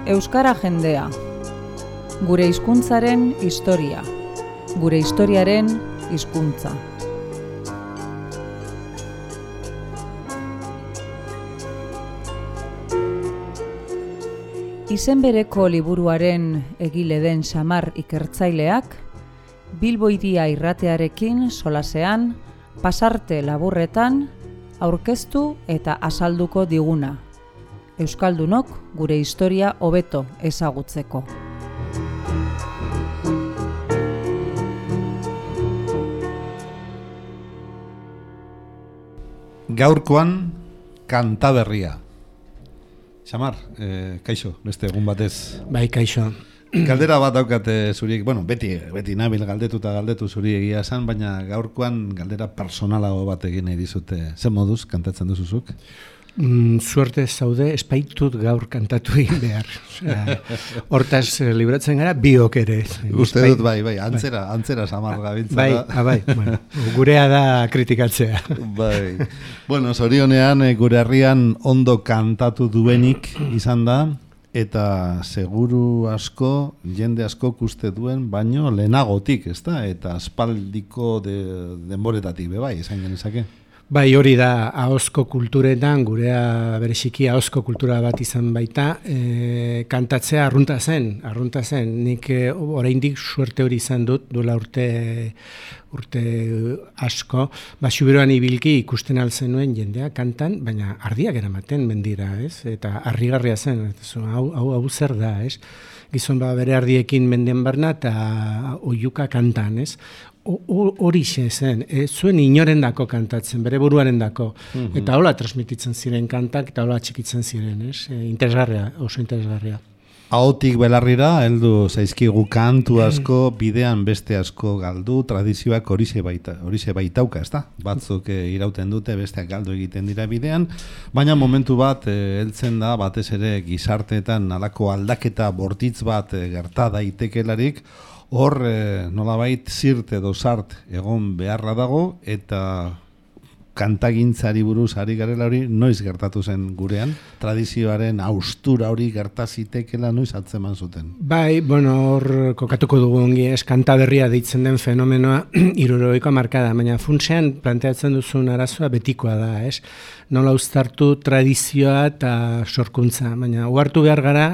Euskara jendea. Gure hizkuntzaren historia. Gure historiaren hizkuntza. Izen bereko liburuaren egile den Xamar ikertzaileak, Bilbo Hiria irratearekin solasean, pasarte laburretan, aurkeztu eta azalduko diguna. Euskaldunok gure historia hobeto ezagutzeko. Gaurkoan kantaberria. Xamar, kaixo, beste egun batez. Bai, kaixo. Galdera bat daukate zuriek, beti nabil galdetu zuri egia esan, baina gaurkoan galdera personalago bat egin nahi dizute. Zer moduz kantatzen duzuzuk? Suerte zaude, espaitut gaur kantatu egin behar. Hortaz libratzen gara, biok ere. Uste dut, bai, antzera Xamar gabiltza. Bai, bueno, gurea da kritikatzea. Bai. Bueno, zorionean gure herrian ondo kantatu duenik izan da, eta seguru asko, jende asko uste duen, baino lehenagotik, ezta? Eta aspaldiko denboretatik, bai, izan genezake. Bai, hori da, ahozko kulturetan, gurea bereziki ahozko kultura bat izan baita, kantatzea arrunta zen. Nik oraindik suerte hori izan dut, duela urte asko, Xuberoan ibilki ikusten altzen nuen jendea kantan, baina ardiak eramaten mendira, ez? Eta harrigarria zen, hau zer da, ez? Gizon bere ardiekin menden barna eta oiuka kantan, ez? Hori zen, zuen inorendako kantatzen, bere buruarendako, eta hola transmititzen ziren kantak, eta hola txikitzen ziren, interesgarria, oso interesgarria. Ahotik belarrira, heldu zaizkigu kantu asko, bidean beste asko galdu, tradizioak horixe baitauka, ezta? Batzuk irauten dute, besteak galdu egiten dira bidean, baina momentu bat heltzen da, batez ere gizarteetan alako aldaketa bortitz bat gerta daitekelarik, hor nolabait zirt edo sart egon beharra dago, eta kantagintzari buruz ari garela hori noiz gertatu zen gurean, tradizioaren haustura hori gertazitekela noiz atzeman zuten. Bai, hor kokatuko dugu ongi, kantaberria deitzen den fenomenoa 60ko hamarkada, baina funtsean planteatzen duzun arazoa betikoa da, nola uztartu tradizioa eta sorkuntza, baina uhartu behar gara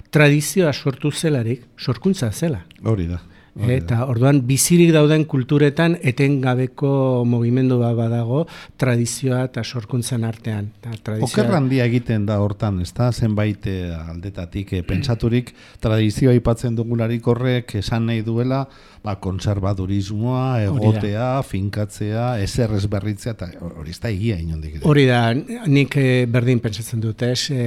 tradizioa sortu zelarik, sorkuntza zela. Hori da. Eta orduan bizirik dauden kulturetan etengabeko mugimendu bat badago tradizioa eta sorkuntzan artean. Oker handia egiten da hortan, ezta? Zenbait aldetatik pentsaturik tradizioa aipatzen dugularik horrek esan nahi duela konservadurismoa, egotea, finkatzea, ezer ezberritzea, eta hori ez da egia inondik. Hori da, nik berdin pentsatzen dut,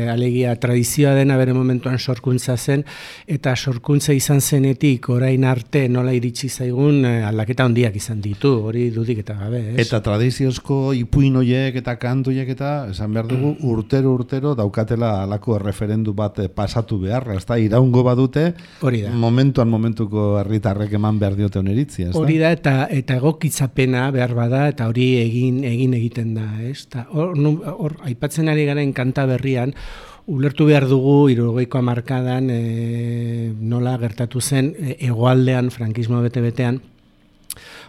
alegia tradizioa dena bere momentuan sorkuntza zen, eta sorkuntza izan zenetik orain arte nola iritsi zaigun aldaketa handiak izan ditu, hori dudik eta gabe. Eta tradiziozko ipuin horiek eta kantuiek eta esan behar dugu urtero daukatela alako referendu bat pasatu beharra, ez da, iraungo badute, momentuko herritarrek eman behar diote oneritzia, ez da? Hori da, eta egokitzapena behar bada, eta hori egiten da, ez? Hor, aipatzen ari garen kanta berrian, ulertu behar dugu 60ko hamarkadan nola gertatu zen hegoaldean, frankismo bete-betean,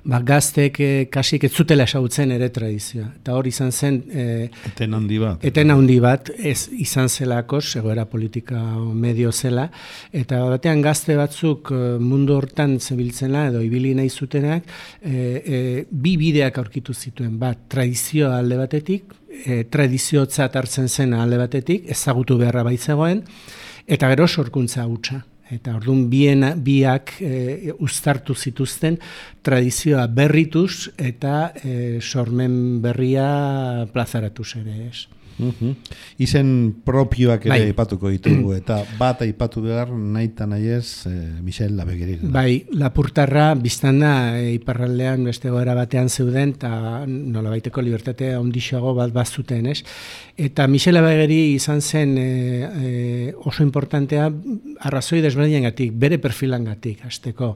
gaztek kasik ez zutela esagutzen ere tradizioa. Eta hori izan zen eten handi bat, ez izan zelako, egoera politika medio zela, eta batean gazte batzuk mundu hortan zebiltzena edo ibili nahi zutenak, bi bideak aurkitu zituen, tradizioa alde batetik, tradiziotzat hartzen zen alde batetik, ezagutu beharra baitzegoen, eta gero sorkuntza hutsa. Eta orduan biak uztartu zituzten tradizioa berrituz eta sormen berria plazaratuz ere, ez. Izen propioak ere aipatuko ditugu, eta bat aipatu behar nahi eta nahi ez Michel Labeguerin. Bai, Lapurtarra biztanda iparraldean beste goera batean zeuden, eta nolabaiteko libertatea ondixago bat bazuten, ez? Eta Michel Labegueri izan zen oso importantea arrazoi desberdinengatik, bere perfilangatik, hasteko.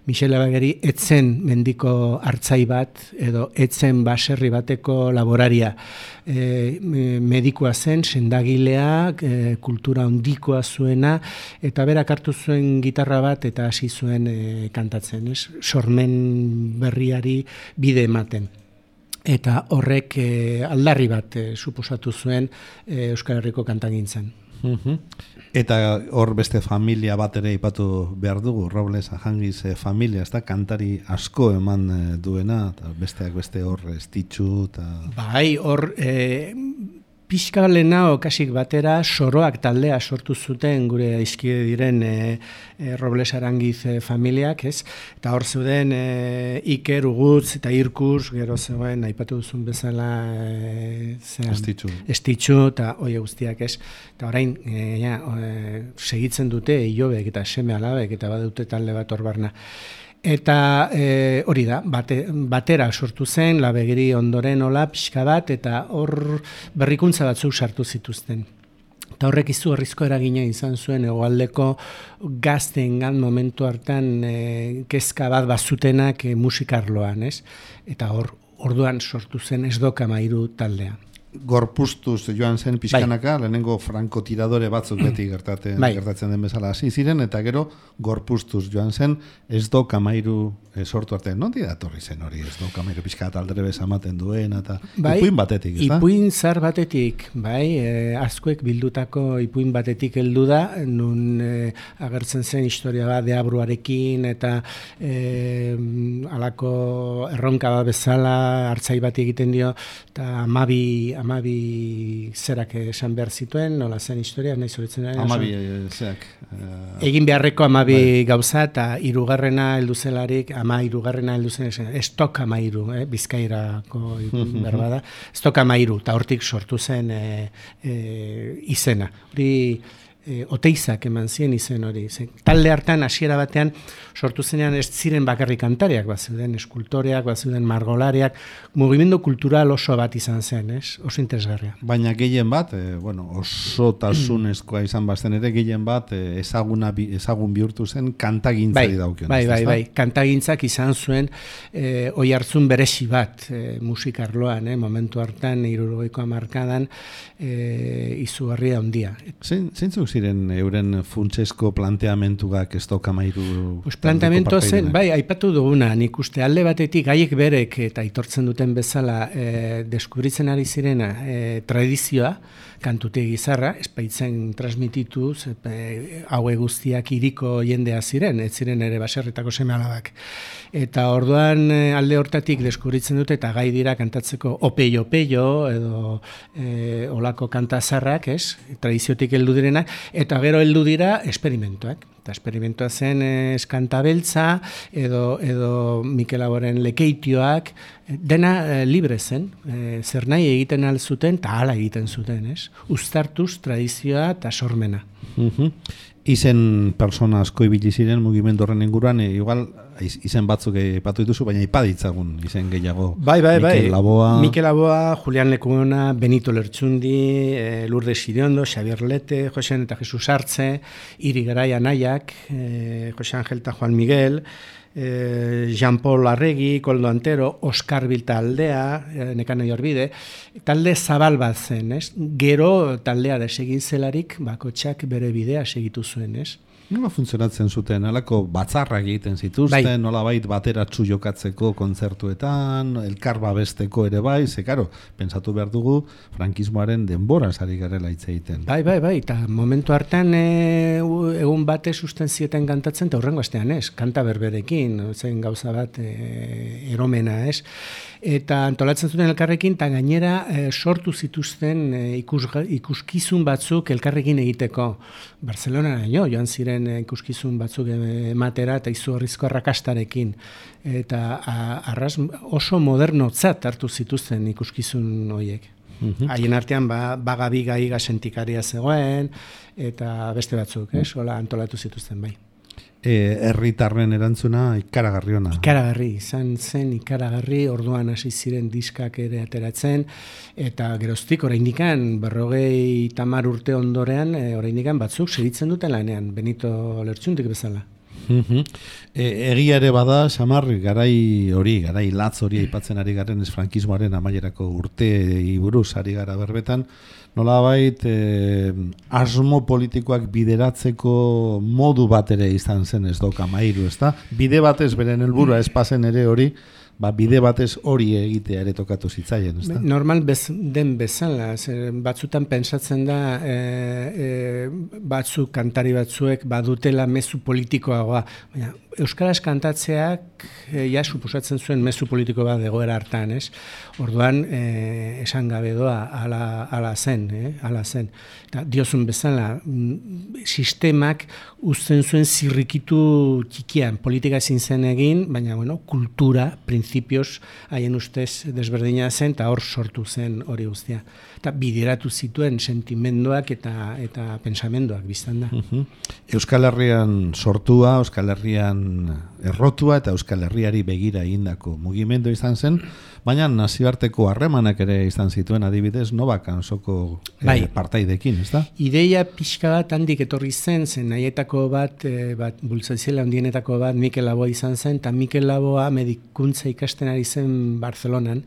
Michel Labegueri etzen mendiko hartzai bat, edo etzen baserri bateko laboraria. medikua zen, sendagileak, kultura handikoa zuena, eta berak hartu zuen gitarra bat eta hasi zuen kantatzen, sormen berriari bide ematen. Eta horrek aldarri bat suposatu zuen Euskal Herriko kantagintzan. Eta hor beste familia bat ere ipatu behar dugu, Robles Ajangiz familia, ez da, kantari asko eman duena, eta besteak beste hor Estitxu, eta... Bai, hor... Pixka lehena okasik batera soroak taldea sortu zuten gure aizkide diren Robles Arangiz familiak, ez? Eta hor zeuden Iker, Ugutz eta Irkurs, gero zegoen, aipatu duzun bezala Estitxu eta oie guztiak, ez? Eta orain, segitzen dute Ilobek eta seme alabek eta badute talde bat hor barna. Eta hori da, batera sortu zen, Labegiri ondoren hola pixka bat, eta hor berrikuntza batzuk sartu zituzten. Eta horrek izugarrizko eragina izan zuen hegoaldeko gazteengan momentu hartan kezka bat bazutenak musikarloan, ez? Eta orduan sortu zen Esdoka Mairu taldea. Gorpuztuz joan zen pixkanaka, lehenengo frankotiradore batzuk beti gertatzen den bezala hasi ziren, eta gero gorpuztuz joan zen Esdoka Mairu sortu arte. Nondi datorri zen hori Esdoka Mairu pixka eta aldre bezamaten duen, eta ipuin batetik, ez da? Ipuin zar batetik, bai, askoek bildutako ipuin batetik heldu da, nun agertzen zen historia bat deabruarekin, eta alako erronka bat bezala hartzai bat egiten dio, eta amabi zerak esan behar zituen, nola zen historia, nahi zoritzen da. Amabi zerak. Egin beharreko amabi gauza, eta hirugarrena heldu zelarik, hirugarrena heldu zen, Esdoka Mairu, Bizkairako berbada, Esdoka Mairu, eta hortik sortu zen izena. Hori Oteizak eman zien izen hori. Talde hartan hasiera batean sortu zenean ez ziren bakarrik kantariak, bazuden eskultoreak, bazuden margolariak, mugimendu kultural oso bat izan zen, oso interesgarria. Baina gehien bat, oso tasunezkoa izan bazen ere, gehien bat ezagun bihurtu zen kantagintzari daukion. Bai, kantagintzak izan zuen oihartzun berezi bat musikarloan, momentu hartan 70ko hamarkadan izugarria handia. Zeintzuk ziren euren funtsesko planteamentuak Esdoka Mairu? Planteamentua zen, bai, aipatu duguna, nik uste alde batetik haiek berek eta aitortzen duten bezala deskubritzen ari zirena tradizioa, kantutegi gizarra, espaitzen transmitituz, haue guztiak hiriko jendea ziren, ez ziren ere baserritako seme-alabak. Eta orduan alde hortatik deskubritzen dute eta gai dira kantatzeko opeio edo olako kantazarrak, tradiziotik heldu direnak, eta gero heldu dira esperimentuak. Eta esperimentua zen eskantabeltza edo Mikel Laboren lekeitioak, dena libre zen, zer nahi egiten alzuten eta hala egiten zuten, uztartuz tradizioa eta sormena. Izen persona asko ibili ziren mugimendu horren inguruan, igual izen batzuk aipatu dituzu, baina ipaditzagun izen gehiago. Bai. Mikel Laboa, Julian Lekuona, Benito Lertxundi, Lourdes Iriondo, Xabier Lete, Josean eta Jesus Artze, Iri Garai Anaiak, Jose Angel eta Juan Miguel, Jean-Paul Arregi, Koldo Antero, Oskar Bilta aldea, Nekane Jorbide, talde zabal bat zen, Gero taldea desegin zelarik, bakotxak bere bidea segitu zuen, Nola funtzionatzen zuten, alako batzarrak egiten zituzten, nola bait bateratsu jokatzeko kontzertuetan, elkar babesteko ere bai, karo, pentsatu behar dugu frankismoaren denbora sari garela hitz egiten. Bai, eta momentu hartan egun bate susten zieten kantatzen, eta hurrengo astean kanta berberekin, zen gauza bat eromena, eta antolatzen zuten elkarrekin, eta gainera sortu zituzten ikuskizun batzuk elkarrekin egiteko. Barcelona joan ziren ikuskizun batzuk ematera eta izugarrizko arrakastarekin. Eta oso modernotzat hartu zituzten ikuskizun horiek. Haien artean Bagabi Gaiga sentikaria zegoen, eta beste batzuk, hola antolatu zituzten bai. Herritarren erantzuna ikaragarri ona. Ikaragarri, izan zen ikaragarri, orduan hasi ziren diskak ere ateratzen, eta geroztik oraindikan 50 urte ondorean, oraindikan batzuk segitzen duten lanean, Benito Lertxundik bezala. Egia ere bada, Xamar, garai latz hori aipatzen ari garen ez frankismoaren amaierako urteei buruz ari gara berbetan, nolabait asmo politikoak bideratzeko modu bat ere izan zen ez doka mairu, ezta? Bide batez beren helburua ez pasen ere hori, bide batez hori egitea ere tokatu zitzaien, ezta? Normal den bezala, batzutan pentsatzen da batzuk, kantari batzuek badutela mezu politikoagoa, baina euskaraz kantatzeak suposatzen zuen mezu politiko bat egoera hartan, ez? Orduan, esan gabe doa, ala zen. Eta diozun bezala, sistemak uzten zuen zirrikitu txikian, politika ezin zen egin, baina, kultura, printzipioz, haien ustez desberdina zen, eta hor sortu zen hori guztia. Eta bideratu zituen sentimenduak eta pensamenduak biztan da. Euskal Herrian sortua, Euskal Herrian errotua eta Euskal Herriari begira egindako mugimendu izan zen, baina nazioarteko harremanak ere izan zituen adibidez Novakan soko partaidekin, ez da? Ideia pixka bat handik etorri zen nahietako bat bultzatzela handienetako bat Mikel Laboa izan zen, eta Mikel Laboa medikuntza ikasten ari zen Barcelonan,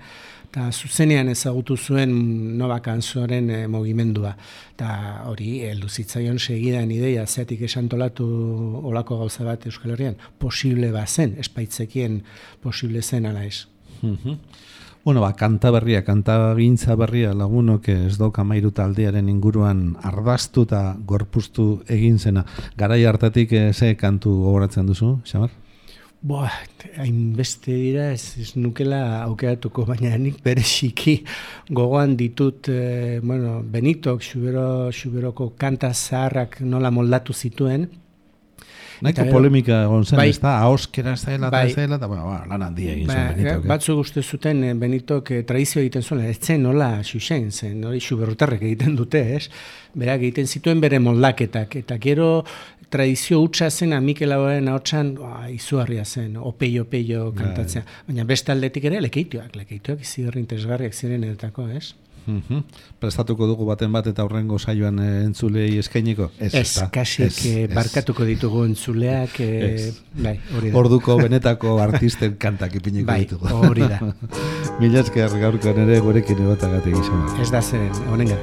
eta zuzenean ezagutu zuen Novakanzoren mugimendua. Eta hori, heldu zitzaion segidan ideia, zeatik esantolatu olako gauza bat Euskal Herrian, posible bazen, espaitzekien posible zen ala ez. Kantagintza berria lagunok ez doka mairu taldearen inguruan ardaztu eta gorpuztu egin zena. Garai hartatik ze kantu gogoratzen duzu, Xamar? Hainbeste dira ez nukela aukeratuko, baina nik bereziki gogoan ditut Benitok Xuberoko kanta zaharrak nola moldatu zituen. Nahiko polemika egon zen, ez da, ahoskera ez dela, eta lan handia egin zuen Benitok. Batzuk uste zuten Benitok tradizio egiten zuen, ez zen nola xuxen zen, hori Xuberrotarrek egiten dute, ez? Berak egiten zituen bere moldaketak, eta gero tradizio hutsa zen Mikel Laboaren ahotsan izugarria zen, opeio kantatzea. Baina beste aldetik ere lekeitoak izigarri interesgarriak ziren edetako, ez? Prestatuko dugu baten bat eta aurrengo saioan entzulei eskainiko? Ez, kasik barkatuko ditugu entzuleak, hori da. Orduko benetako artisten kantak ipiniko ditugu. Hori da. Mila esker gaurkoan ere gurekin egotagatik izan. Ez da zen, honenga.